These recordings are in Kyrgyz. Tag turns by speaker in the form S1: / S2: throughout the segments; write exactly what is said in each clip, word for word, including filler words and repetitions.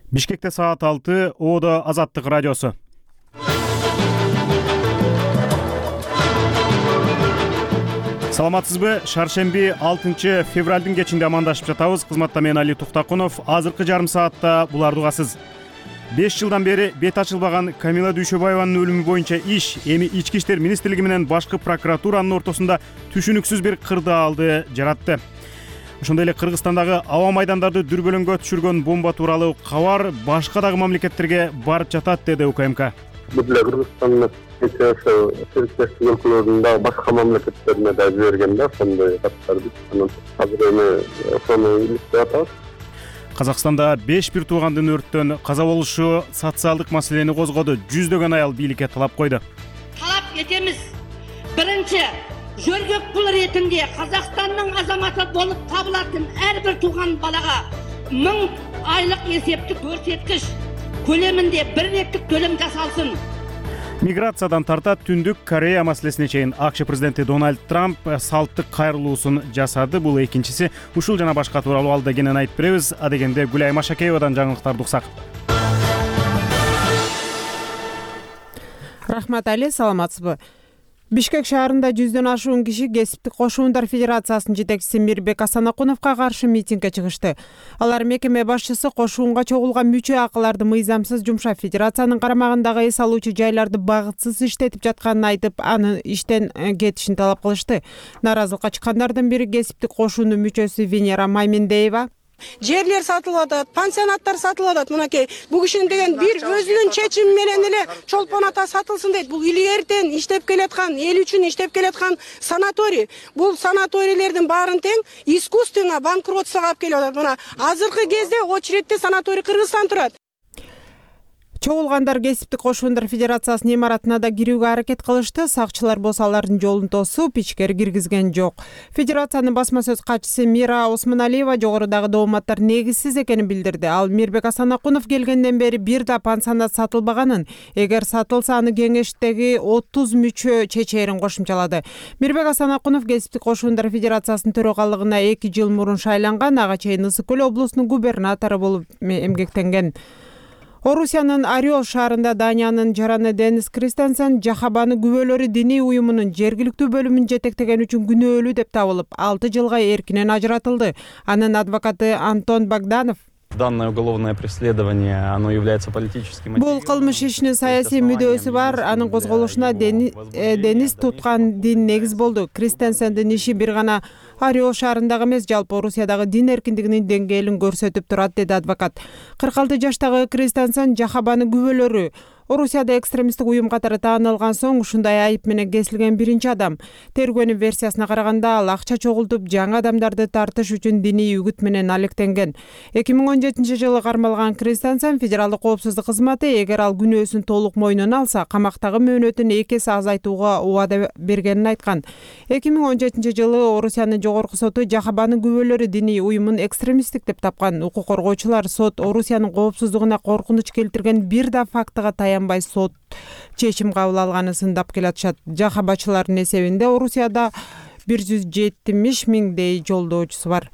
S1: Бишкекте саат алты, Оодо Азаттык радиосу. Саламатсызбы? Шаршемби алтынчы февралдын кечинде амандашып жатабыз. Кызматта мен Али Туктакунов. Азыркы жарым саатта буларды угасыз. беш жылдан бери бет ачылбаган Камила Дүйшөбаеванын өлүмү боюнча иш эми Ички иштер министрлиги менен башкы прокуратуранын ортосунда түшүнүксүз бир кырдаалды жаратты. Ошондой эле Кыргызстандагы аба майдандарды дүрбөлөңгө түшүргөн бомба тууралуу кабар башка дагы мамлекеттерге барып жатат, деди УКМК.
S2: Бизде Кыргызстандын ошо сериктештик өлкөлөрдүн дагы башка мамлекеттерине да жиберген да ошондой каттарды. Азыр эми ошону иликтеп атабыз.
S1: Казакстанда беш бир туугандын өрттөн каза болушу социалдык маселени козгоду. Жүздөгөн аял бийликке талап койду.
S3: Талап этебиз. Биринчи, жөргөк пул ретинде Казакстандын азаматы болуп табылатын ар бир тууган балага миң айлык эсептик көрсөткүч көлөмүндө бир реттик төлөм жасалсын.
S1: Миграциядан тартат Түндүк Корея маселесине чейин АКШ президенти Дональд Трамп салттык кайрылуусун жасады. Бул экинчиси. Ушул жана башка тууралуу алда кенен айтып беребиз. Адегенде Гүлай Машакеевадан жаңылыктарды уксак.
S4: Рахмат Али, саламатсызбы? Бишкек шаарында жүздөн ашуун киши Кесиптик кошуундар федерациясынын жетекчиси Мирбек Асанакуновго каршы митингге чыгышты. Алар мекеме башчысы кошуунга чогулган мүчө акыларды мыйзамсыз жумшап, федерациянын карамагындагы эс алуучу жайларды багытсыз иштетип жатканын айтып, анын иштен кетишин талап кылышты. Нааразылыкка чыккандардын бири Кесиптик кошуунун мүчөсү Венера Маймендеева.
S5: Жерлер сатылып атат, пансионаттар сатылып атат. Мынакей бул кишинин деген бир өзүнүн чечими менен эле чолпон ата сатылсын дейт. Бул илгертен иштеп келаткан, эл үчүн иштеп келаткан санаторий. Бул санаторийлердин баарын тең искусственно банкротствого алып келип атат. Мына азыркы кезде очередте санаторий Кыргызстан турат.
S4: Чогулгандар Кесиптик кошуундар федерациясынын имаратына да кирүүгө аракет кылышты. Сакчылар болсо алардын жолун тосуп, ичкери киргизген жок. Федерациянын басма сөз катчысы Мира Осмоналиева жогорудагы дооматтар негизсиз экенин билдирди. Ал Мирбек Асанакунов келгенден бери бир да пансионат сатылбаганын, эгер сатылса аны кеңештеги отуз мүчө чечээрин кошумчалады. Мирбек Асанакунов Кесиптик кошуундар федерациясынын төрагалыгына эки жыл мурун шайланган, ага чейин Ысык көл облусунун губернатору болуп эмгектенген. Орусиянын Орел шаарында Даниянын жараны Денис Кристенсен Жахабаны күбөлөрү диний уюмунун жергиликтүү бөлүмүн жетектеген үчүн күнөөлүү деп табылып, алты жылга эркинен ажыратылды. Анын адвокаты Антон Богданов:
S6: Данное уголовное преследование, оно является политическим.
S4: Бул кылмыш ишинин саясий мүдөөсү бар. Анын козголушуна Денис туткан дин негиз болду. Кристенсендин иши бир гана Орел шаарындагы эмес, жалпы Орусиядагы дин эркиндигинин деңгээлин көрсөтүп турат, деди адвокат. кырк алты жаштагы Кристенсен Жахабаны күбөлөрү Орусияда экстремисттик уюм катары таанылган соң ушундай айып менен кесилген биринчи адам. Тергөөнүн версиясына караганда ал акча чогултуп, жаңы адамдарды тартыш үчүн диний үгүт менен алектенген. эки миң он жетинчи жылы кармалган Кристенсен федералдык коопсуздук кызматы эгер ал күнөөсүн толук мойнуна алса, камактагы мөөнөтүн эки эсе азайтууга убада бергенин айткан. эки миң он жетинчи жылы Орусиянын жогорку соту Жахабанын күбөлөрү диний уюмун экстремисттик деп тапкан. Укук коргоочулар сот Орусиянын коопсуздугуна коркунуч келтирген бир да фактыга таянбай сот чечим кабыл алганын сындап келатышат. Жахабачылардын эсебинде Орусияда бир жүз жетимиш миңдей жолдоочусу бар.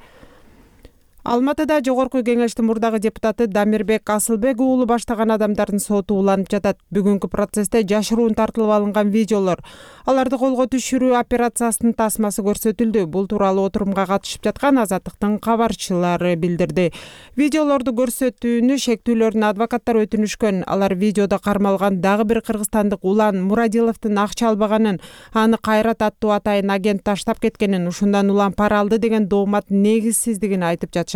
S4: Алматыда жогорку кеңештин мурдагы депутаты Дамирбек Асылбек уулу баштаган адамдардын соту уланып жатат. Бүгүнкү процессте жашыруун тартылып алынган видеолор, аларды колго түшүрүү операциясынын тасмасы көрсөтүлдү. Бул тууралуу отурумга катышып жаткан Азаттыктын кабарчылары билдирди. Видеолорду көрсөтүүнү шектүүлөрүн адвокаттар өтүнүшкөн. Алар видеодо кармалган дагы бир кыргызстандык Улан Мурадиловдун акча албаганын, аны Кайрат аттуу атайын агент таштап кеткенин, ушундан Улан пара алды деген доомат негизсиздигин айтып жатышат.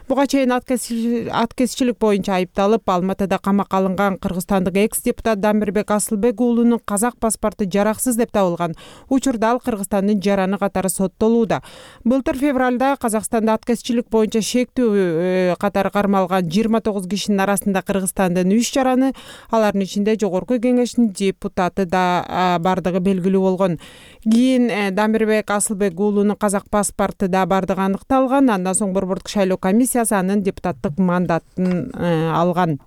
S4: Буга чейин аткезчилик боюнча айыпталып, Алматыда камакка алынган кыргызстандык экс-депутат Дамирбек Асылбек уулунун казак паспорту жараксыз деп табылган. Учурда ал Кыргызстандын жараны катары соттолууда. Былтыр февралда Казакстанда аткезчилик боюнча шектүү катары кармалган жыйырма тогуз кишинин арасында Кыргызстандын үч жараны, алардын ичинде жогорку кеңештин депутаты да бардыгы белгилүү болгон. Кийин Дамирбек Асылбек уулунун казак паспорту да бардыгы аныкталган. Андан соң Борбордук шайлоо комиссиясы анын депутаттык мандатын алган.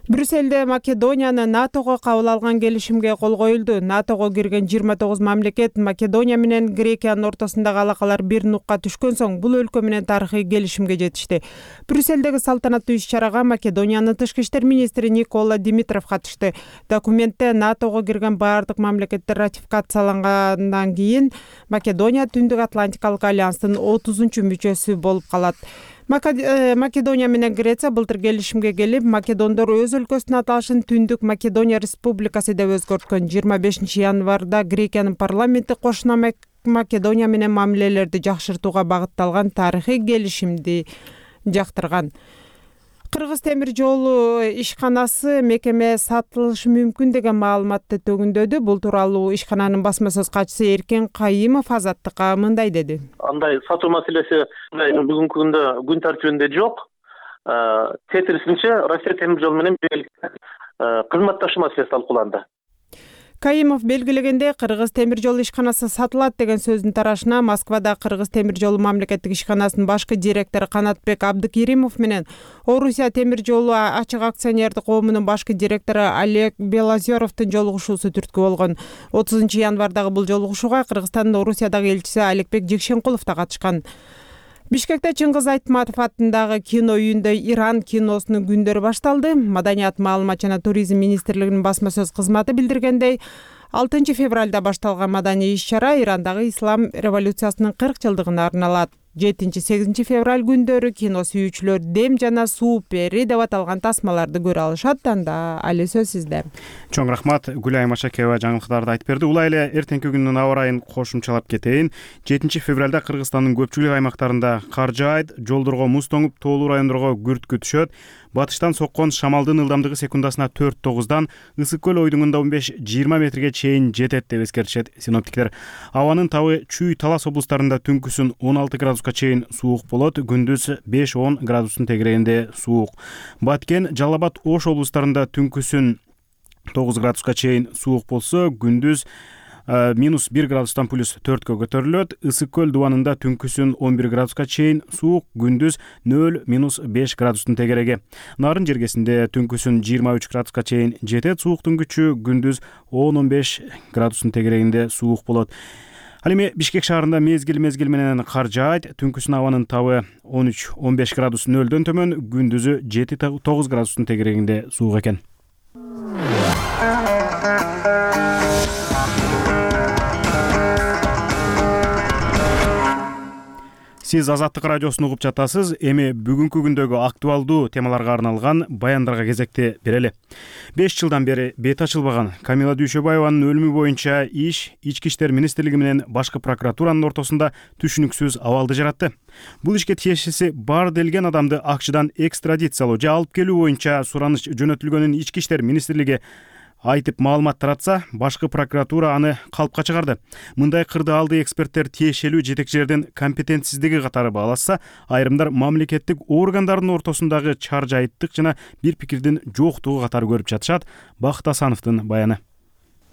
S4: Брюссельде Македонияны НАТОго кабыл алган келишимге кол коюлду. НАТОго кирген жыйырма тогуз мамлекет Македония менен Грекиянын ортосундагы алакалар бир нукка түшкөн соң бул өлкө менен тарыхый келишимге жетишти. Брюссельдеги салтанаттуу иш-чарага Македониянын тышкы иштер министри Никола Димитров катышты. Документте НАТОго кирген баардык мамлекеттер ратификациялангандан кийин Македония Түндүк Атлантикалык альянстын отузунчу мүчөсү болуп калат. Македония менен Греция былтыр келишимге келип, македондор өз өлкөсүнүн аталышын Түндүк Македония Республикасы деп өзгөрткөн. жыйырма бешинчи январда Грекиянын парламенти кошуна Македония менен мамилелерди жакшыртууга багытталган тарыхый келишимди жактырган. Кыргыз темир жолу ишканасы мекеме сатылышы мүмкүн деген маалыматты төгүндөдү. Бул тууралуу ишкананын басма сөз катчысы Эркен Кайымов Азаттыкка мындай деди.
S7: Андай сатуу маселеси бүгүнкү күндө күн тартибинде жок. Тетирисинче Россия темир жолу менен кызматташуу маселеси талкууланды.
S4: Кайымов белгилегенде, Кыргыз темир жолу ишканасы сатылат деген сөздүн тарашына Москвада Кыргыз темир жолу мамлекеттик ишканасынын башкы директору Канатбек Абдыкеримов менен Орусия темир жолу ачык акционердик коомунун башкы директору Олег Белозеровдун жолугушуусу түрткү болгон. отузунчу январдагы бул жолугушууга Кыргызстандын Орусиядагы элчиси Аликбек Жекшенкулов да катышкан. Бишкекте Чыңгыз Айтматов атындагы кино үйүндө Иран киносунун күндөрү башталды. Маданият, маалымат жана туризм министрлигинин басма сөз кызматы билдиргендей, алтынчы февралда башталган маданий иш-чара Ирандагы ислам революциясынын кырк жылдыгына арналат. жетинчи-сегизинчи февраль күндөрү кино сүйүүчүлөр дем жана суу пери деп аталган тасмаларды көрө алышат. Анда али сөз сизде.
S1: Чоң рахмат. Гүлай Машакеева жаңылыктарды айтып берди. Улай эле эртеңки күндүн аба ырайын кошумчалап кетейин. жетинчи февралда Кыргызстандын көпчүлүк аймактарында кар жаайт, жолдорго муз тоңуп, тоолуу райондорго күрткү түшөт. Батыштан соккон шамалдын ылдамдыгы секундасына төрт тогуздан, ысык көл ойдуңунда он беш жыйырма метрге чейин жетет деп эскертишет синоптиктер. Абанын табы Чүй, Талас облустарында түнкүсүн он алты градуска чейин суук болот, күндүз беш он градустун тегерегинде суук. Баткен, Жалал Абад, Ош облустарында түнкүсүн тогуз градуска чейин суук болсо, күндүз минус бир градустан плюс төрткө көтөрүлөт. Ысык көл дубанында түнкүсүн он бир градуска чейин суук, күндүз нөл минус беш градустун тегереги. Нарын жергесинде түнкүсүн жыйырма үч градуска чейин жетет, сууктун күчү күндүз он он беш градустун тегерегинде суук болот. Ал эми Бишкек шаарында мезгил-мезгил менен кар жаайт, түнкүсүн абанын табы он үч он беш градус нөлдөн төмөн, күндүзү жети тогуз градустун тегерегинде суук экен. Сиз Азаттык радиосун угуп жатасыз. Эми бүгүнкү күндөгү актуалдуу темаларга арналган баяндарга кезекти берели. беш жылдан бери бет ачылбаган Камила Дүйшөбаеванын өлүмү боюнча иш Ички иштер министрлиги менен башкы прокуратуранын ортосунда түшүнүксүз абалды жаратты. Бул ишке тиешеси бар делген адамды акчадан экстрадициялоо же алып келүү боюнча сураныч жөнөтүлгөнүн Ички иштер министрлиги айтып маалымат таратса, башкы прокуратура аны калпка чыгарды. Мындай кырды алды эксперттер тиешелүү жетекчилердин компетентсиздиги катары баалашса, айрымдар мамлекеттик органдардын ортосундагы чаржайыттык жана бир пикирдин жоктугу катары көрүп жатышат. Бакыт Асановдун баяны.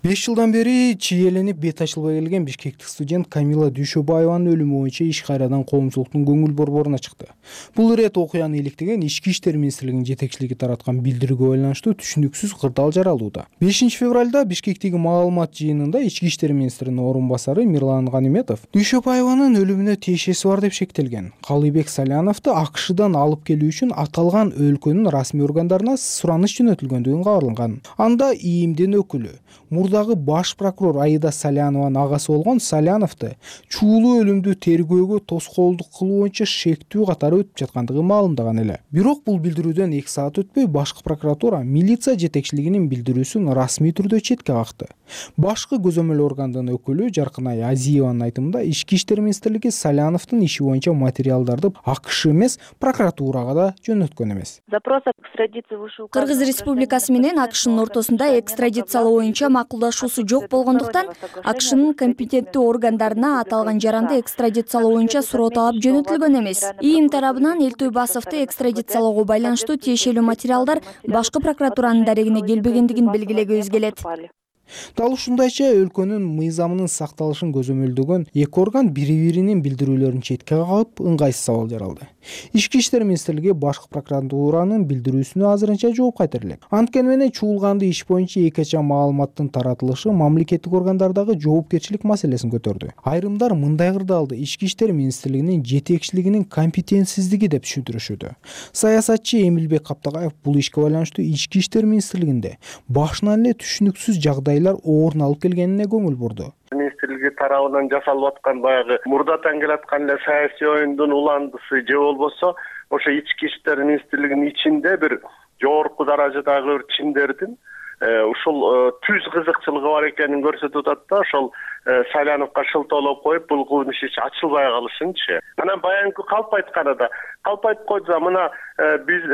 S8: беш жылдан бери чиеленип бет ачылбай келген бишкектик студент Камила Дүйшөбаеванын өлүмү боюнча иш кайрадан коомчулуктун көңүл борборуна чыкты. Бул ирет окуяны иликтеген Ички иштер министрлигинин жетекчилиги тараткан билдирүүгө байланыштуу түшүнүксүз кырдаал жаралууда. бешинчи февралда Бишкектеги маалымат жыйынында Ички иштер министринин орун басары Мирлан Ганиметов Дүйшөбаеванын өлүмүнө тиешеси бар деп шектелген. Калыйбек Саляновду АКШдан алып келүү үчүн аталган өлкөнүн расмий органдарына сураныч жөнөтүлгөндүгүн кабарланган. Анда ИИМдин өкүлү, мурдагы баш прокурор Аида Салянованын агасы болгон Саляновду чуулуу өлүмдү тергөөгө тоскоолдук кылуу боюнча шектүү катары өтүп жаткандыгы маалымдаган эле. Бирок бул билдирүүдөн эки саат өтпөй башкы прокуратура милиция жетекчилигинин билдирүүсүн расмий түрдө четке какты. Башкы көзөмөл органдын өкүлү Жаркынай Азиеванын айтымында Ички иштер министрлиги Саляновдун иши боюнча материалдарды АКШ эмес, прокуратурага да жөнөткөн эмес.
S9: Кыргыз Республикасы менен АКШнын ортосунда экстрадициялоо боюнча макулдашуусу жок болгондуктан АКШнын компетенттүү органдарына аталган жаранды экстрадициялоо боюнча суроо талап жөнөтүлгөн эмес. ИИМ тарабынан Элтой Басовду экстрадициялоого байланыштуу тиешелүү материалдар башкы прокуратуранын дарегине келбегендигин белгилегибиз келет.
S8: Дал ушундайча өлкөнүн мыйзамынын сакталышын көзөмөлдөгөн эки орган бири-биринин билдирүүлөрүн четке кагып, ыңгайсыз абал жаралды. Ички иштер министрлиги башкы прокуратуранын билдирүүсүнө азырынча жооп кайтара элек. Анткени менен чуулганды иш боюнча эки ача маалыматтын таратылышы мамлекеттик органдардагы жоопкерчилик маселесин көтөрдү. Айрымдар мындай кырдаалды ички иштер министрлигинин жетекчилигинин компетентсиздиги деп түшүндүрүшүүдө. Саясатчы Эмилбек Каптагаев бул ишке байланыштуу ички иштер министрлигинде башынан эле түшүнүксүз жагдайлар орун алып келгенине көңүл бурду.
S2: Министрлиги тарабынан жасалып аткан баягы мурдатан келаткан эле саясий оюндун уландысы же болбосо ошо ички иштер министрлигинин ичинде бир жогорку даражадагы бир чимдердин ушул түз кызыкчылыгы бар экенин көрсөтүп атат да. Ошол Саляновго шылтоолоп коюп, бул кылмыш иш ачылбай калышынчы. Анан баягы калп айтканада калп айтып койду, мына биз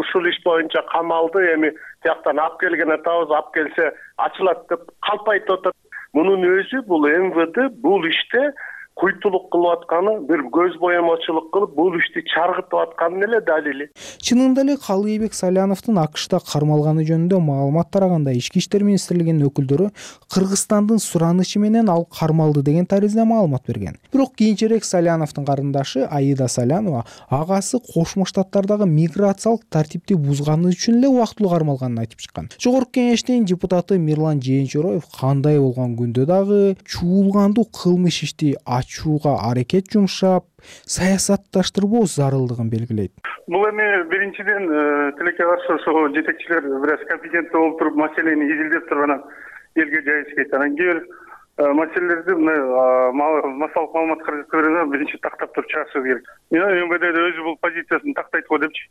S2: ушул иш боюнча камалды эми тияктан алып келген атабыз, алып келсе ачылат деп калп айтып атат. Мунун өзү бул эм вэ дэ бул иште куйтулук кылып атканы, бир көз боемочулук кылып, бул ишти чаргытып атканын эле далили.
S8: Чынында эле Калыйбек Саляновдун АКШта кармалганы жөнүндө маалымат тараганда ички иштер министрлигинин өкүлдөрү Кыргызстандын суранычы менен ал кармалды деген таризде маалымат берген. Бирок кийинчерээк Саляновдун карындашы Аида Салянова агасы Кошмо Штаттардагы миграциялык тартипти бузганы үчүн эле убактылуу кармалганын айтып чыккан. Жогорку кеңештин депутаты Мирлан Жээнчороев кандай болгон күндө дагы чуулгандуу кылмыш ишти ачууга аракет жумшап, саясатташтырбоо зарылдыгын белгилейт.
S10: Бул эми биринчиден тилекке каршы ошо жетекчилер бир аз компетенттүү болуп туруп маселени изилдеп туруп анан элге жайышкет. Анан кээ бир маселелерди массалык маалымат каражаттарына биринчи тактап туруп чыгышыбыз керек. Мен эм вэ дэ өзү бул позициясын тактайт го депчи.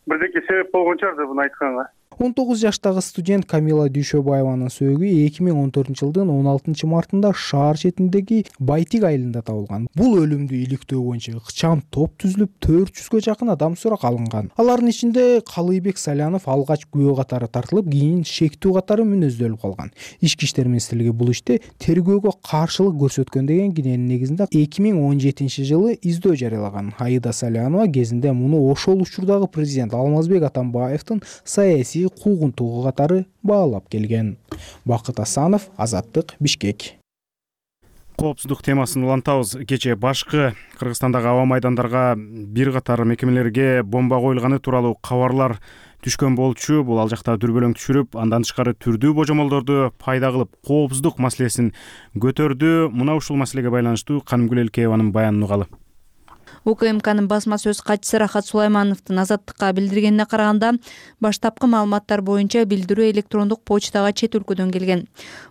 S10: Бирдеке себеп болгон чыгар да буну айтканга.
S8: он тогуз жаштагы студент Камила Дүйшөбаеванын сөөгү эки миң он төртүнчү жылдын он алтынчы мартында шаар четиндеги Байтик айылында табылган. Бул өлүмдү иликтөө боюнча ыкчам топ түзүлүп, төрт жүзгө жакын адам сурак алынган. Алардын ичинде Калыйбек Салянов алгач күбө катары тартылып, кийин шектүү катары мүнөздөлүп калган. Ички иштер министрлиги бул иште тергөөгө каршылык көрсөткөн деген киненин негизинде эки миң он жетинчи жылы издөө жарыялаган. Аида Салянова кезинде муну ошол учурдагы президент Алмазбек Атамбаевдин саясий куугунтугу катары баалап келген. Бакыт Асанов, Азаттык, Бишкек.
S1: Коопсуздук темасын улантабыз. Кечээ башкы Кыргызстандагы аба майдандарга бир катар мекемелерге бомба коюлганы тууралуу кабарлар түшкөн болчу. Бул ал жакта дүрбөлөң түшүрүп, андан тышкары түрдүү божомолдорду пайда кылып, коопсуздук маселесин көтөрдү. Мына ушул маселеге байланыштуу Канымгүл Элкееванын баянын угалы.
S11: У К М Кнын басма сөз катчысы Рахат Сулаймановдун Азаттыкка билдиргенине караганда, баштапкы маалыматтар боюнча билдирүү электрондук почтага чет өлкөдөн келген.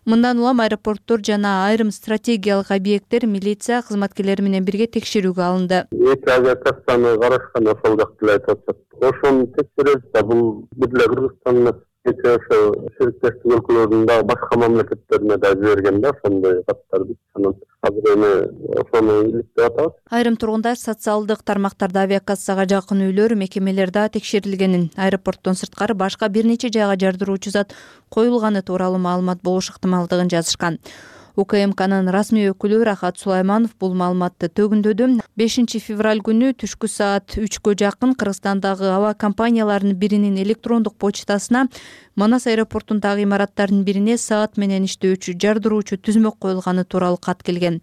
S11: Мындан улам аэропорттор жана айрым стратегиялык объекттер милиция кызматкерлери менен бирге текшерүүгө алынды.
S2: Эки авиакастаны карашкан ошол жакты эле айтып атат. Ошону текшеребиз да, бул бир эле Кыргызстандын эки ошо сериктештик өлкөлөрүнүн башка мамлекеттерине да жиберген да, ошондой каттарды. Азыр эми ошону иликтеп атабыз.
S11: Айрым тургундар социалдык тармактарда авиакассага жакын үйлөр, мекемелер да текшерилгенин, аэропорттон сырткары башка бир нече жайга жардыруучу зат коюлганы тууралуу маалымат болуш ыктымалдыгын жазышкан. У К М Кнын расмий өкүлү Рахат Сулайманов бул маалыматты төгүндөдү. бешинчи февраль күнү түшкү саат үчкө жакын Кыргызстандагы аба компанияларынын биринин электрондук почтасына Манас аэропортундагы имараттардын бирине саат менен иштөөчү жардыруучу түзмөк коюлганы тууралуу кат келген.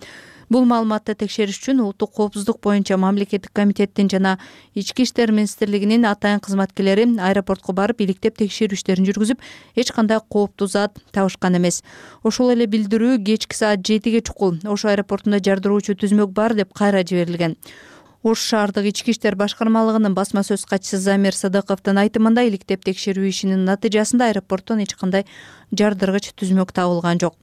S11: Бул маалыматты текшериш үчүн улуттук коопсуздук боюнча мамлекеттик комитеттин жана ички иштер министрлигинин атайын кызматкерлери аэропортко барып иликтеп текшерүү иштерин жүргүзүп, эч кандай кооптуу зат табышкан эмес. Ошол эле билдирүү кечки саат жетиге чукул Ош аэропортунда жардыруучу түзмөк бар деп кайра жиберилген. Ош шаардык ички иштер башкармалыгынын басма сөз катчысы Замир Садыковдун айтымында, иликтеп текшерүү ишинин натыйжасында аэропорттон эч кандай жардыргыч түзмөк табылган жок.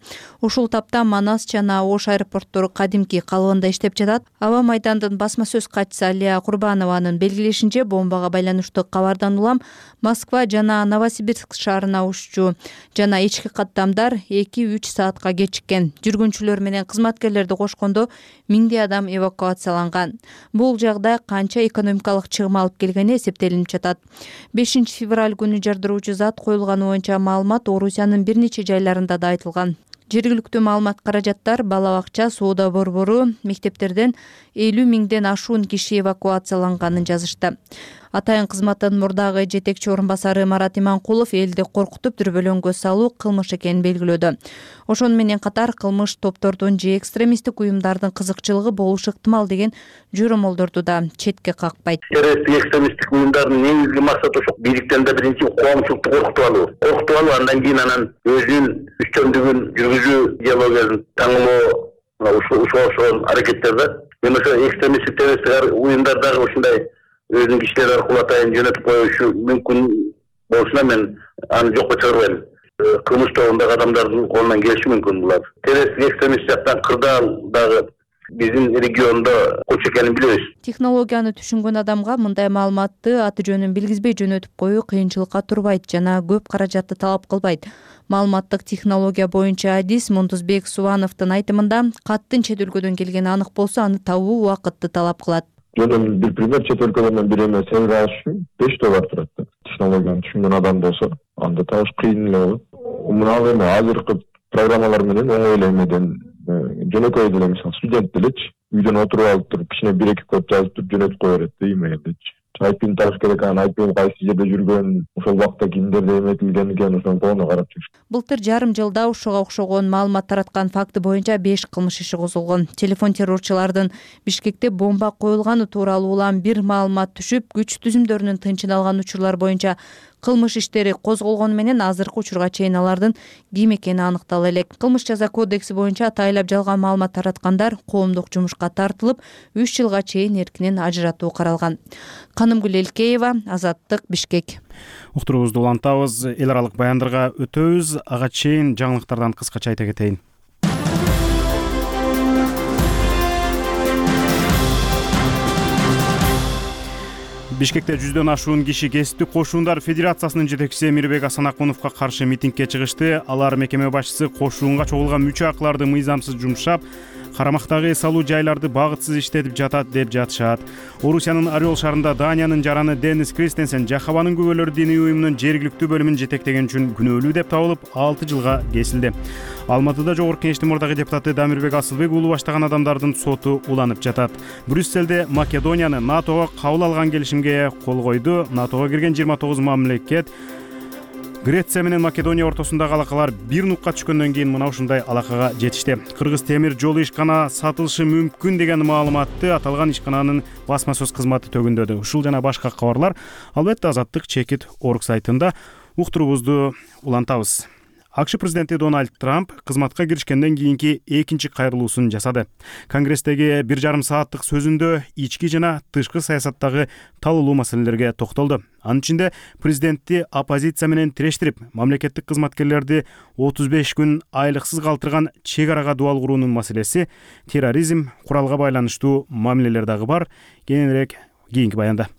S11: Ушул тапта Манас жана Ош аэропорттору кадимки калыбында иштеп жатат. Аба майдандын басма сөз катчысы Алия Курбанованын белгилешинче, бомбага байланыштуу кабардан улам Москва жана Новосибирск шаарына уччу жана ички каттамдар эки үч саатка кечиккен. Жүргүнчүлөр менен кызматкерлерди кошкондо миңдей адам эвакуацияланган. Бул жагдай канча экономикалык чыгым алып келгени эсептелинип жатат. бешинчи февраль күнү жардыруучу зат коюлганы боюнча маалымат Орусиянын бир нече жайларында да айтылган. Жергиликтүү маалымат каражаттар, бала бакча, соода борбору, мектептерден элүү миңден ашуун киши эвакуацияланганын жазышты. Атайын кызматтын мурдагы жетекчи орун басары Марат Иманкулов элди коркутуп дүрбөлөңгө салуу кылмыш экенин белгилөөдө. Ошону менен катар кылмыш топтордун же экстремисттик уюмдардын кызыкчылыгы болушу ыктымал деген журомолдорду да четке какпайт.
S7: Террористтик экстремисттик уюмдардын негизги максаты ошо бийликтен да биринчи коомчулукту коркутуп алуу. Коркутуп алуу, андан кийин анан өзүнүн үчтөмдүгүн жүргүзүү идеологиясын таңылоо, ушуга окшогон аракеттер да. Мен ошо экстремисттик террористтик уюмдардагы ушундай өзүнүн кишилери аркылуу атайын жөнөтүп коюшу мүмкүн болушуна мен аны жокко чыгарбайм. Кылмыш тобундагы адамдардын колунан келиши мүмкүн булар. Террористтик экстремист жактан кырдаал дагы биздин региондо көч экенин билебиз.
S11: Технологияны түшүнгөн адамга мындай маалыматты аты жөнүн билгизбей жөнөтүп коюу кыйынчылыкка турбайт жана көп каражатты талап кылбайт. Маалыматтык технология боюнча адис Мундузбек Субановдун айтымында каттын чет өлкөдөн келгени анык болсо аны табуу убакытты талап кылат.
S12: Жөн бир пример, чет өлкөдөн бир эме себеп алыш үчүн беш доллар турат. Технологияны түшүнгөн адам болсо, анда табыш кыйын эле болот. Мына эми азыркы программалар менен оңой эле эмеден жөнөкөй деле, мисалы студент делечи үйдөн отуруп алып туруп кичине бир эки код жазып туруп жөнөтүп кое берет да имейлдечи. Айпин табыш керек, анан айпин кайсы жерде жүргөн, ошол убакта кимдерде эметилген экен, ошону толук карап жүрүш.
S11: Былтыр жарым жылда ушуга окшогон маалымат тараткан факты боюнча беш кылмыш иши козулгон. Телефон террорчулардын Бишкекте бомба коюлганы тууралуу улам бир маалымат түшүп, күч түзүмдөрүнүн тынчын алган учурлар боюнча кылмыш иштери козголгону менен азыркы учурга чейин алардын ким экени аныктала элек. Кылмыш жаза кодекси боюнча атайлап жалган маалымат тараткандар коомдук жумушка тартылып, үч жылга чейин эркинен ажыратуу каралган. Канымгүл Элкеева, Азаттык, Бишкек.
S1: Уктуруубузду улантабыз, эл аралык баяндарга өтөбүз. Ага чейин жаңылыктардан кыскача айта кетейин. Бишкекте жүздөн ашуун киши кесиптик кошуундар федерациясынын жетекчиси Мирбек Асанакуновго каршы митингге чыгышты. Алар мекеме башчысы кошуунга чогулган мүчө акларды мыйзамсыз жумшап, карамактагы эс алуу жайларды багытсыз иштетип жатат деп жатышат. Орусиянын Орел шаарында Даниянын жараны Денис Кристенсен Жахабанын күбөлөрү диний уюмунун жергиликтүү бөлүмүн жетектеген үчүн күнөөлүү деп табылып, алты жылга кесилди. Алматыда Жогорку Кеңештин мурдагы депутаты Дамирбек Асылбек уулу баштаган адамдардын соту уланып жатат. Брюсселде Македонияны НАТОго кабыл алган келишимге кол койду. НАТОго кирген жыйырма тогуз мамлекет Греция менен Македония ортосундагы алакалар бир нукка түшкөндөн кийин мына ушундай алакага жетишти. Кыргыз темир жолу ишкана сатылышы мүмкүн деген маалыматты аталган ишкананын басма сөз кызматы төгүндөдү. Ушул жана башка кабарлар албетте Азаттык чекит орг сайтында. Уктуруубузду улантабыз. АКШ президенти Дональд Трамп кызматка киришкенден кийинки экинчи кайрылуусун жасады. Конгресстеги бир жарым сааттык сөзүндө ички жана тышкы саясаттагы талуулуу маселелерге токтолду. Анын ичинде президентти оппозиция менен тирештирип, мамлекеттик кызматкерлерди отуз беш күн айлыксыз калтырган чек арага дуал куруунун маселеси, терроризм, куралга байланыштуу мамилелер дагы бар. Кененирээк кийинки баянда.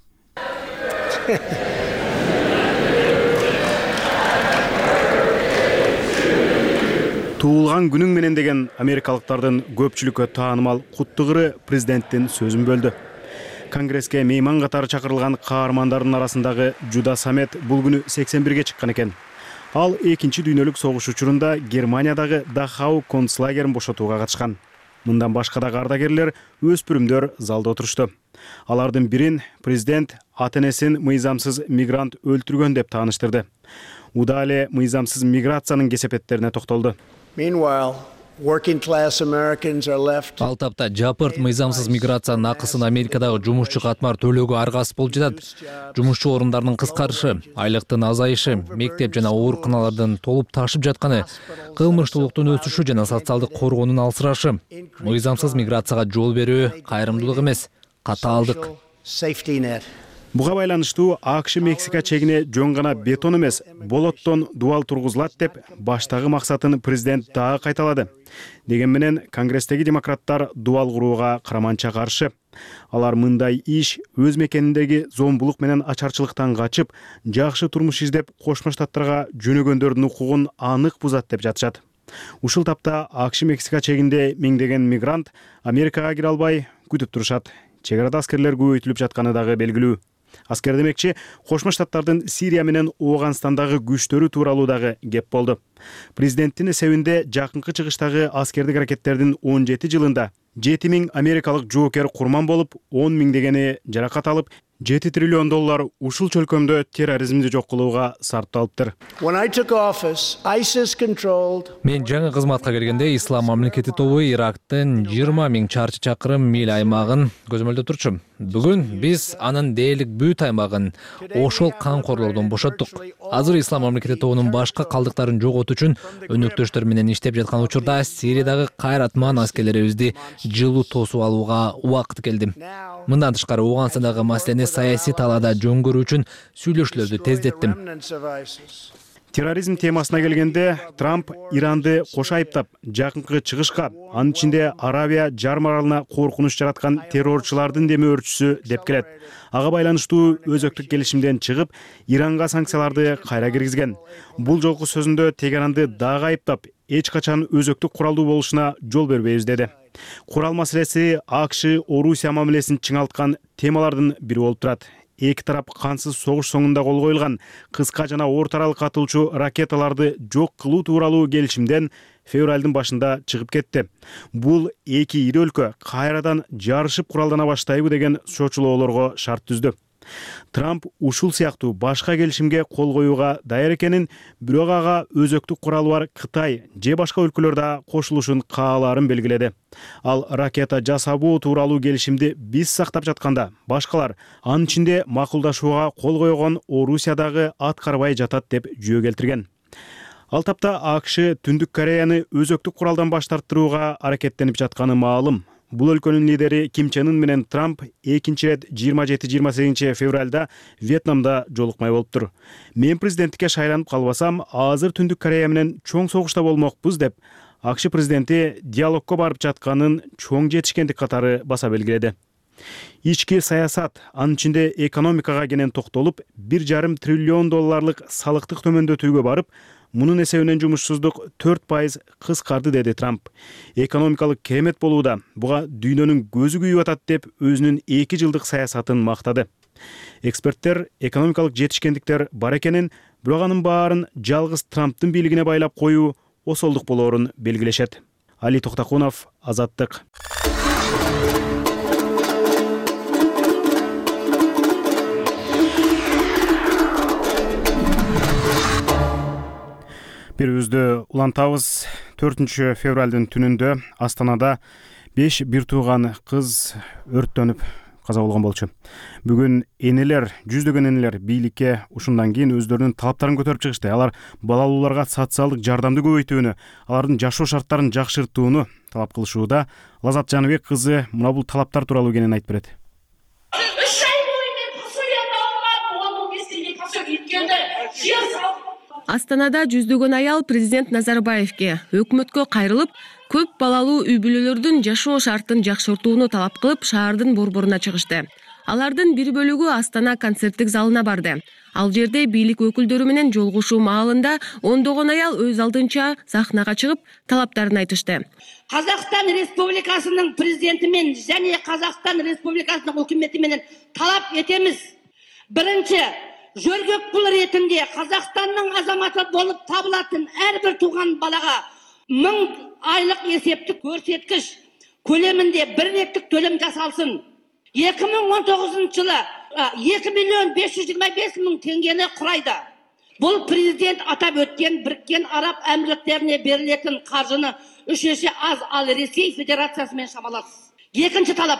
S1: Туулган күнүң менен деген америкалыктардын көпчүлүккө таанымал куттугыры президенттин сөзүн бөлдү. Конгресске мейман катары чакырылган каармандардын арасындагы Жуда Самет бул күнү сексен бирге чыккан экен. Ал экинчи дүйнөлүк согуш учурунда Германиядагы Дахау концлагерин бошотууга катышкан. Мындан башка да ардагерлер, өспүрүмдөр залда отурушту. Алардын бирин президент ата-энесин мыйзамсыз мигрант өлтүргөн деп тааныштырды. Уда эле мыйзамсыз миграциянын кесепеттерине токтолду.
S13: Ал тапта жапырт мыйзамсыз миграциянын акысын Америкадагы жумушчу катмар төлөөгө аргасыз болуп жатат. Жумушчу орундарынын кыскарышы, айлыктын азайышы, мектеп жана ооруканалардын толуп ташып жатканы, кылмыштуулуктун өсүшү жана социалдык коргоонун алсырашы. Мыйзамсыз миграцияга жол берүү кайрымдуулук эмес, катаалдык.
S1: Буга байланыштуу АКШ Мексика чегине жөн гана бетон эмес, болоттон дуал тургузулат деп баштагы максатын президент дагы кайталады. Деген менен Конгресстеги демократтар дуал курууга караманча каршы. Алар мындай иш өз мекениндеги зомбулук менен ачарчылыктан качып, жакшы турмуш издеп Кошмо Штаттарга жөнөгөндөрдүн укугун анык бузат деп жатышат. Ушул тапта АКШ Мексика чегинде миңдеген мигрант Америкага кире албай күтүп турушат. Чек арада аскерлер көбөйтүлүп жатканы дагы белгилүү. Аскер демекчи, Кошмо Штаттардын Сирия менен Ооганстандагы күчтөрү тууралуу дагы кеп болду. Президенттин эсебинде жакынкы чыгыштагы аскердик аракеттердин он жети жылында жети миң америкалык жоокер курман болуп, он миңдегени жаракат алып, жети триллион доллар ушул чөлкөмдө терроризмди жок кылууга сарпталыптыр.
S13: Мен жаңы кызматка келгенде Ислам мамлекети тобу Ирактын жыйырма миң чарчы чакырым миль аймагын көзөмөлдөп турчу. Бүгүн биз анын дээрлик бүт аймагын ошол камкорлордон бошоттук. Азыр Ислам мамлекети тобунун башка калдыктарын жоготуу үчүн өнөктөштөр менен иштеп жаткан учурда Сириядагы кайратман аскерлерибизди жылуу тосуп алууга убакыт келди. Мындан тышкары Ооганстандагы маселени саясий талаада жөн көрүү үчүн сүйлөшүүлөрдү тездеттим.
S1: Терроризм темасына келгенде Трамп Иранды кошо айыптап, жакынкы чыгышка, анын ичинде Аравия жарым аралына коркунуч жараткан террорчулардын демөөрчүсү деп келет. Ага байланыштуу өзөктүк келишимден чыгып, Иранга санкцияларды кайра киргизген. Бул жолку сөзүндө Тегеранды дагы айыптап, эч качан өзөктүк куралдуу болушуна жол бербейбиз деди. Курал маселеси АКШ Орусия мамилесин чыңалткан темалардын бири болуп турат. Эки тарап кансыз согуш соңунда кол коюлган кыска жана орто аралык атылчу ракеталарды жок кылуу тууралуу келишимден февралдын башында чыгып кетти. Бул эки ири өлкө кайрадан жарышып куралдана баштайбы деген чочулоолорго шарт түздү. Трамп ушул сыяктуу башка келишимге кол коюуга даяр экенин, бирок ага өзөктүк куралы бар Кытай же башка өлкөлөр да кошулушун каалаарын белгиледи. Ал ракета жасабоо тууралуу келишимди биз сактап жатканда, башкалар анын ичинде макулдашууга кол койгон Орусиядагы аткарбай жатат деп жөө келтирген. Ал тапта АКШ Түндүк Кореяны өзөктүк куралдан баш тартырууга аракеттенип жатканы маалым. Бул өлкөнүн лидери Ким Чен Ын менен Трамп экинчи рет жыйырма жети жыйырма сегизинчи февралда Вьетнамда жолукмай болуптур. Мен президенттикке шайланып калбасам, азыр Түндүк Корея менен чоң согушта болмокпуз деп АКШ президенти диалогко барып жатканын чоң жетишкендик катары баса белгиледи. Ички саясат, анын ичинде экономикага кенен токтолуп, бир жарым триллион долларлык салыктык төмөндөтүүгө барып, мунун эсебинен жумушсуздук төрт пайыз кыскарды деди Трамп. Экономикалык керемет болууда, буга дүйнөнүн көзү күйүп атат деп өзүнүн эки жылдык саясатын мактады. Эксперттер экономикалык жетишкендиктер бар экенин, бирок анын баарын жалгыз Трамптын бийлигине байлап коюу осолдук болоорун белгилешет. Али Токтакунов, Азаттык. Берүүбүздү улантабыз. төртүнчү февралдын түнүндө Астанада беш бир тууган кыз өрттөнүп каза болгон болчу. Бүгүн энелер, жүздөгөн энелер бийликке ушундан кийин өздөрүнүн талаптарын көтөрүп чыгышты. Алар балалууларга социалдык жардамды көбөйтүүнү, алардын жашоо шарттарын жакшыртууну талап кылышууда. Лазат Жаныбек кызы мына бул талаптар тууралуу кенен айтып берет.
S14: Астанада жүздөгөн аял президент Назарбаевке өкмөткө кайрылып, көп балалуу үй бүлөлөрдүн жашоо шартын жакшыртууну талап кылып, шаардын борборуна чыгышты. Алардын бир бөлүгү Астана концерттик залына барды. Ал жерде бийлик өкүлдөрү менен жолугушуу маалында ондогон аял өз алдынча сахнага чыгып, талаптарын айтышты.
S3: Казакстан Республикасынын президенти менен жана Казакстан Республикасынын өкмөтү менен талап этебиз. Биринчи, жөргөк пул ретинде Казакстандын азаматы болуп табылатын ар бир тууган балага миң айлык эсептик көрсөткүч көлөмүндө бир реттик төлөм жасалсын. эки миң он тогузунчу жылы эки миллион беш жүз жыйырма беш миң теңгени курайды. Бул президент атап өткен Бириккен Араб Амирликтерине берилетін каржыны үч эсе аз, ал Ресей Федерациясы менен шамалас. Экинчи талап: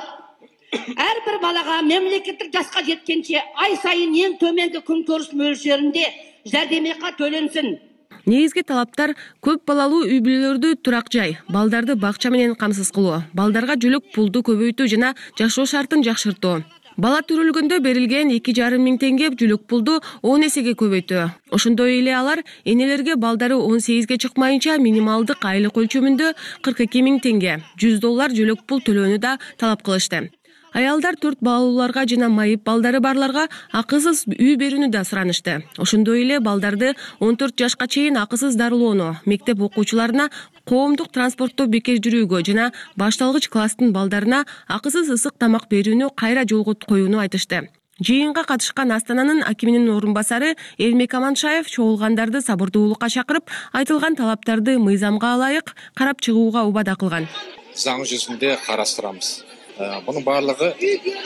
S3: ар бир балага мемлекеттик жашка жеткенче ай сайын эң төмөнкү күнкөрүш мөлшөрүндө жардамакы төлөнсүн.
S14: Негизги талаптар көп балалуу үй бүлөлөрдү турак жай, балдарды бакча менен камсыз кылуу, балдарга жөлөк пулду көбөйтүү жана жашоо шартын жакшыртуу. Бала төрөлгөндө берилген эки жарым миң теңге жөлөк пулду он эсеге көбөйтүү. Ошондой эле алар энелерге балдары он сегизге чыкмайынча минималдык айлык өлчөмүндө кырк эки миң теңге, жүз доллар жөлөк пул төлөөнү да талап кылышты. Аялдар төрт балалууларга жана майып балдары барларга акысыз үй берүүнү да суранышты. Ошондой эле балдарды он төрт жашка чейин акысыз дарылоону, мектеп окуучуларына коомдук транспортто бекер жүрүүгө жана башталгыч класстын балдарына акысыз ысык тамак берүүнү кайра жолго коюуну айтышты. Жыйынга катышкан Астананын акиминин орун басары Эрмек Аманшаев чогулгандарды сабырдуулукка чакырып, айтылган талаптарды мыйзамга ылайык карап чыгууга убада кылган.
S15: Заң жүзүндө карастырабыз. Мунун баардыгы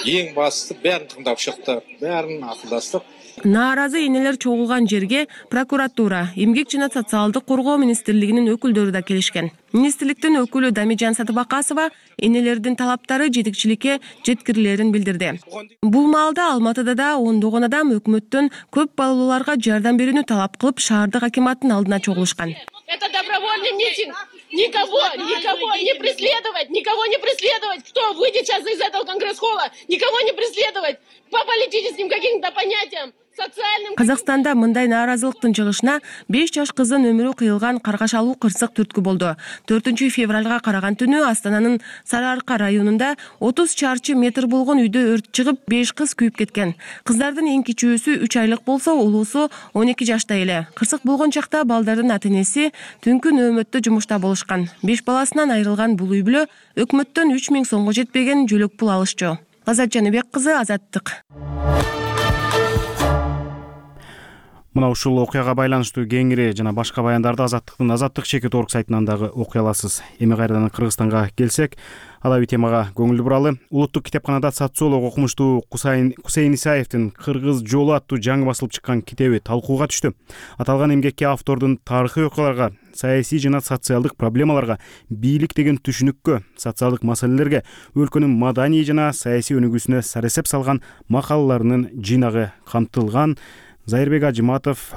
S15: эң башты баарын тыңдап чыктык, баарын акылдаштык.
S14: Нааразы энелер чогулган жерге прокуратура, эмгек жана социалдык коргоо министрлигинин өкүлдөрү да келишкен. Министрликтин өкүлү Дамижан Сатыбакасова энелердин талаптары жетекчиликке жеткирилерин билдирди. Бул маалда Алматыда да ондогон адам өкмөттөн көп балалууларга жардам берүүнү талап кылып шаардык акиматтын алдына чогулушкан.
S16: Это добровольный митинг. Никого, никого не преследовать, никого не преследовать. Кто выйдет сейчас из этого конгресс-холла, никого не преследовать по политическим каким-то понятиям.
S14: Казакстанда мындай нааразылыктын чыгышына беш жаш кыздын өмүрү кыйылган каргашалуу кырсык түрткү болду. төртүнчү февралга караган түнү Астананын Сары Арка районунда отуз чарчы метр болгон үйдө өрт чыгып, беш кыз күйүп кеткен. Кыздардын эң кичүүсү үч айлык болсо, улуусу он эки жашта эле. Кырсык болгон чакта балдардын ата-энеси түнкү нөөмөттө жумушта болушкан. беш баласынан айрылган бул үй бүлө өкмөттөн үч миң сомго жетпеген жөлөк пул алышчу. Азат Жаныбек кызы, Азаттык.
S1: Мына ушул окуяга байланыштуу кеңири жана башка баяндарды Азаттыктын Азаттык чекит орг сайтынан дагы окуй аласыз. Эми кайрадан Кыргызстанга келсек, алаби темага көңүл буралы. Улуттук китепканада социолог окумуштуу Кусейин Исаевдин Кыргыз жолу аттуу жаңы басылып чыккан китеби талкууга түштү. Аталган эмгекке автордун тарыхый окуяларга, саясий жана социалдык проблемаларга, бийлик деген түшүнүккө, социалдык маселелерге, өлкөнүн маданий жана саясий өнүгүүсүнө саресеп салган макалаларынын жыйнагы камтылган. Зайырбек Ажыматов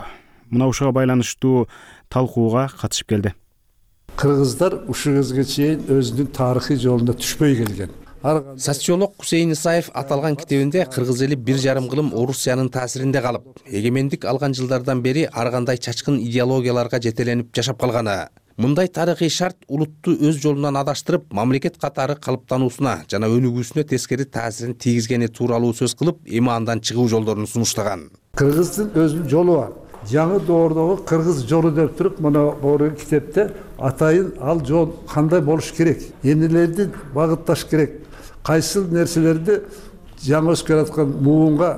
S1: мына ушуга байланыштуу талкууга катышып келди.
S17: Кыргыздар ушул кезге чейин өзүнүн тарыхый жолуна түшпөй келген.
S18: Социолог Кусейин Исаев аталган китебинде кыргыз эли бир жарым кылым Орусиянын таасиринде калып, эгемендик алган жылдардан бери ар кандай чачкын идеологияларга жетеленип жашап калганы, мындай тарыхый шарт улутту өз жолунан адаштырып, мамлекет катары калыптануусуна жана өнүгүүсүнө тескери таасирин тийгизгени тууралуу сөз кылып, эми андан чыгуу жолдорун сунуштаган.
S17: Кыргыздын өзүнүн жолу бар. Жаңы доордогу кыргыз жолу деп туруп, мына бул китепте атайын ал жол кандай болуш керек, эмнелерди багытташ керек, кайсыл нерселерди жаңы өсүп келаткан муунга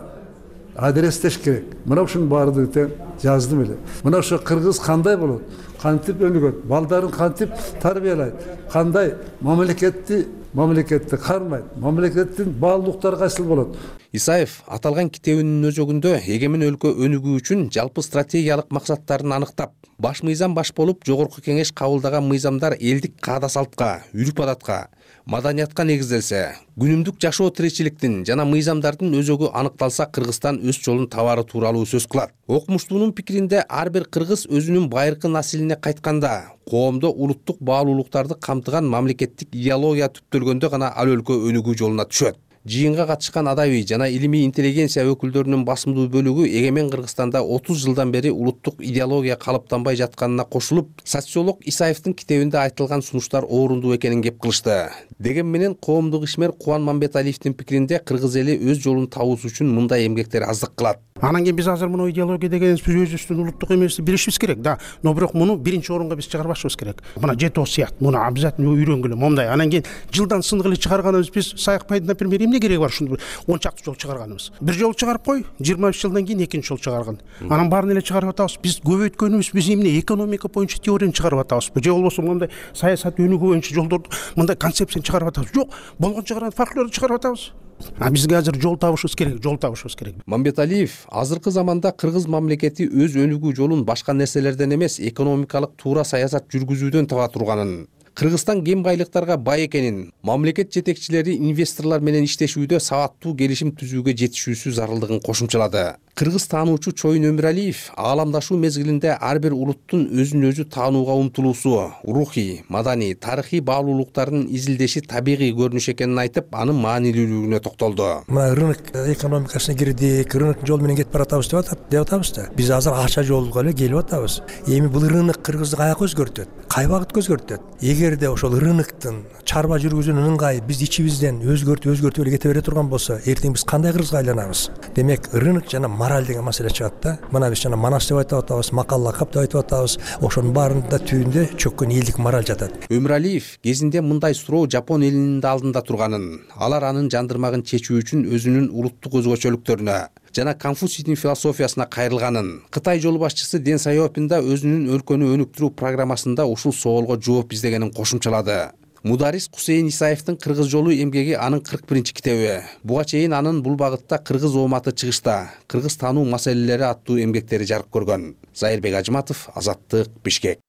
S17: адрестеш керек. Мына ушунун баардыгын тең жаздым эле. Мына ошо кыргыз кандай болот, кантип өнүгөт, балдарын кантип тарбиялайт, кандай мамлекетти мамлекетти кармайт, мамлекеттин баалуулуктары кайсыл болот.
S18: Исаев аталган китебинин өзөгүндө эгемен өлкө өнүгүү үчүн жалпы стратегиялык максаттарын аныктап, баш мыйзам баш болуп жогорку кеңеш кабылдаган мыйзамдар элдик каада салтка, үрп адатка, маданиятка негизделсе, күнүмдүк жашоо тиричиликтин жана мыйзамдардын өзөгү аныкталса, Кыргызстан өз жолун табары тууралуу сөз кылат. Окумуштуунун пикиринде ар бир кыргыз өзүнүн байыркы населине кайтканда, коомдо улуттук баалуулуктарды камтыган мамлекеттик идеология түптөлгөндө гана ал өлкө өнүгүү жолуна түшөт. Жыйынга катышкан адабий жана илимий интеллигенция өкүлдөрүнүн басымдуу бөлүгү эгемен Кыргызстанда отуз жылдан бери улуттук идеология калыптанбай жатканына кошулуп, социолог Исаевдин китебинде айтылган сунуштар орундуу экенин кеп кылышты. Деген менен коомдук ишмер Кубан Мамбеталиевдин пикиринде кыргыз эли өз жолун табуусу үчүн мындай эмгектер аздык кылат.
S19: Анан кийин биз азыр муну идеология дегенибиз биз өзүбүздүн улуттук эмести билишибиз керек да. Но бирок муну биринчи орунга биз чыгарбашыбыз керек. Мына жети осуят, муну обязательно үйрөнгүлө момундай. Анан кийин жылдан сындык эле чыгарганыбыз биз Саякбайды, например, эмне кереги бар ушуну он чакты жол чыгарганыбыз. Бир жол чыгарып кой, жыйырма беш жылдан кийин экинчи жол чыгарган. Анан баарын эле чыгарып атабыз. Биз көбөйткөнүбүз биз эмне экономика боюнча теорияны чыгарып атабыз. Же болбосо мындай саясат өнүгүү боюнча жолдорду, мындай концепцияны чыгарып атабыз. Жок, болгон чыгарган фольклорду чыгарып атабыз. А бизге азыр жол табышыбыз керек, жол табышыбыз керек.
S18: Мамбеталиев азыркы заманда кыргыз мамлекети өз өнүгүү жолун башка нерселерден эмес, экономикалык туура саясат жүргүзүүдөн таба турганын, Кыргызстан кем байлыктарга бай экенин, мамлекет жетекчилери инвесторлор менен иштешүүдө сабаттуу келишим түзүүгө жетишүүсү зарылдыгын кошумчалады. Кыргыз таануучу Чоюн Өмүралиев ааламдашуу мезгилинде ар бир улуттун өзүн өзү таанууга умтулуусу, рухий, маданий, тарыхый баалуулуктарын изилдеши табигый көрүнүш экенин айтып, анын маанилүүлүгүнө токтолду.
S20: Мына рынок экономикасына кирдик, рынок жол менен кетип баратабыз деп атат, деп атабыз да. Биз азыр акча жолго эле келип атабыз. Эми бул рынок кыргызды каяка өзгөртөт? Кай багытка өзгөртөт? Эгерде ошол рыноктун чарба жүргүзүүнүн ыңгайы биз ичибизден өзгөртүп өзгөртүп эле кете бере турган болсо, эртең биз кандай кыргызга айланабыз? Демек, рынок жана мораль деген маселе чыгат да. Мына биз жана манас деп айтып атабыз, макал лакап деп айтып атабыз. Ошонун баарында түбүндө чөккөн элдик мораль жатат.
S18: Өмүралиев кезинде мындай суроо Жапон элинин да алдында турганын, алар анын жандырмагын чечүү үчүн өзүнүн улуттук өзгөчөлүктөрүнө жана Конфуцийдин философиясына кайрылганын, Кытай жол башчысы Дэн Сяопин да өзүнүн өлкөнү өнүктүрүү программасында ушул соолго жооп издегенин кошумчалады. Мударис Кусейин Исаевдин Кыргыз жолу эмгеги анын кырк биринчи китеби. Буга чейин анын бул багытта кыргыз ооматы чыгышта, кыргыз таануу маселелери аттуу эмгектери жарык көргөн. Зайырбек Ажматов, Азаттык, Бишкек.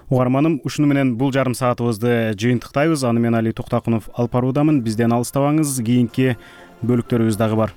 S1: Угарманым, ушуну менен бул жарым саатыбызды жыйынтыктайбыз. Аны мен Али Туктакунов алып баруудамын. Бизден алыстабаңыз, кийинки бөлүктөрүбүз дагы бар.